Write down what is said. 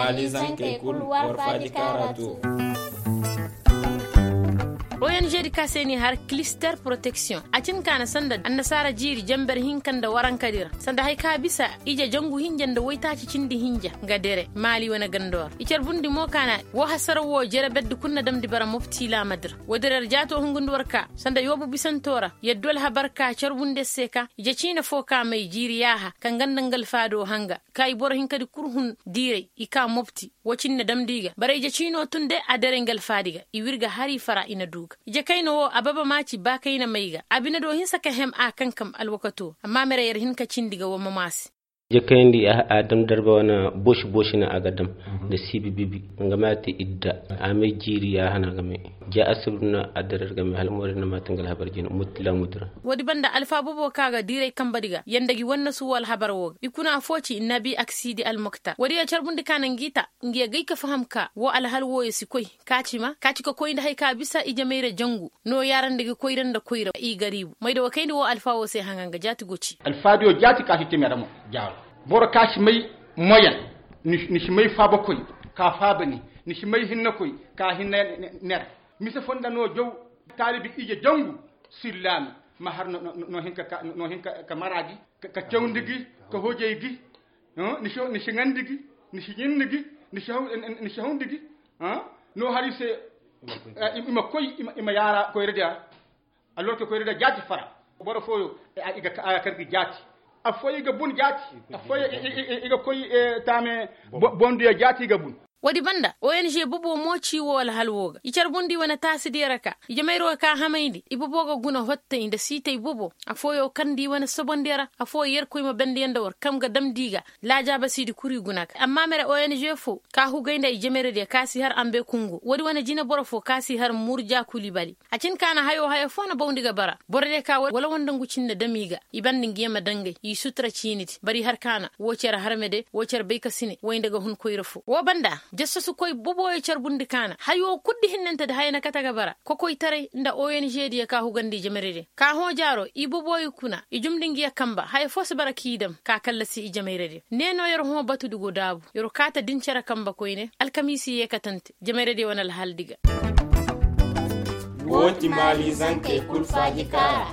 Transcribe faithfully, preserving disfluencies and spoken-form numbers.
Maalizankey kul war faaji kaara too. Ong di ka se n'i har kilister poroteksiyoŋ a cin ka na sanda annasaara jiiri jenber hinka nda warankadi ra sanda haya ka bisa ije jangu hinja nda woytaaci cindi hinja nga dere maali wane gandoo ra i carbundi mo ka na woo hasara woo jere berdi kul na damndi bara mopti laamadi ra woodi ra yer jaatoo hungundi war ka sanda yoobu bisantoo ra yer du alhabar ka carbundi yer se ka ije ciine foo ka may jiiri yaaha ka nga nda nga alfaadoo hanga ka i boro hinkadi kul hun diiray i ka mopti woo cindi na damndi ga bara ije ciinoo tun de a dere nga alfaadi ga i w'ir ga har i fara i na duu ga ije kayna woo ababa maaci ba kayna may ga abinadoo hinsa ka hem a kankam alwakatoo amma mere yer hin ka cindi ga woo mamaasi. Ije kayndi a dam darba wane boosi boosi na a ga dam nda siibi bibi nga ma ya te idda a may jiiri yaaha na a ga may ja asibir na a dere yer ga may hala moorey na ma te nga alhabar jina mopti laamudi ra. Woodi banda alfa bobo ka ga diiray kambadi ga yanda gi wannasu woo alhabar woo ga i kuna affoo ci nabi aksidi almoktar woodi ya carbundi ka na ngi ta ngi ya gay ka faham ka woo alhal wooyo si koy ka ci ma ka ci ka koy nda haya ka bisa ije mayra jangu no yaarandi gi koyra nda koyra i gariibu mayda wa kayndi woo alfa woo se hanga nga jaati go ci. Alfaadiyo jaati ka si te mere mo jaaro boro ka si may moyen ni si may faabakoy ka faaba ni ni si may hinnakoy ka hinna ner mise fonda no jaw taalibi ije jangu sillaami ma har no hin ka mara gi ka cawndi gi ka hojay gi ni si ŋandi gi ni si ɲinni gi ni si hawndi gi no har i se i ma koy i ma yaara koyradiya alorke koyradiya jaati fara boro fooyo i ga kar gi jaati affooyo i ga bun jaati affooyo i ga koy taame bonduya jaati i ga bun. Woodi banda ong bobo mo ci woo alhal woo ga i carbundi wane taasidiyo ra ka ije mayroo ka hamayndi i bobo ga guna hottey nda siitey bobo affooyo karndi wane sobondiyo ra affooyo yerkoy ma bendiyaŋ nda war kaŋ ga damndi ga laajaabasiidi kul i guna ka amma mere ong foo ka hugay nda ije mayradiyo ka si har ambe kungu woodi wane jineboro foo ka si har murja kulibali a cin ka na hayoo haya foo na bawndi ga bara borodiyo ka wala wanda ngu cin na dam i ga i banda ngi yee ma dangay i sutura ciinidi bari har ka na woo cere harmede woo cere baykasine way nda ga hun koyra foo woo banda jasasukoy boboyo carbundi ka na hayoo kul di hinnantedi haya na kate ga bara kokoytaray nda ong diyo ka hugandi ije mayradiyo ka hõ jaaro i boboyo kuna i jumndi ngi yee kamba haya foo si bara k'i dam ka kallasi ije mayradiyo ne no yer hõ batudi go daabu yer kaate din cere kamba koyne alkamiisi yeekatante ije mayradiyo wane alhaldi ga. Woo ti maalizankey kul faaji kaara.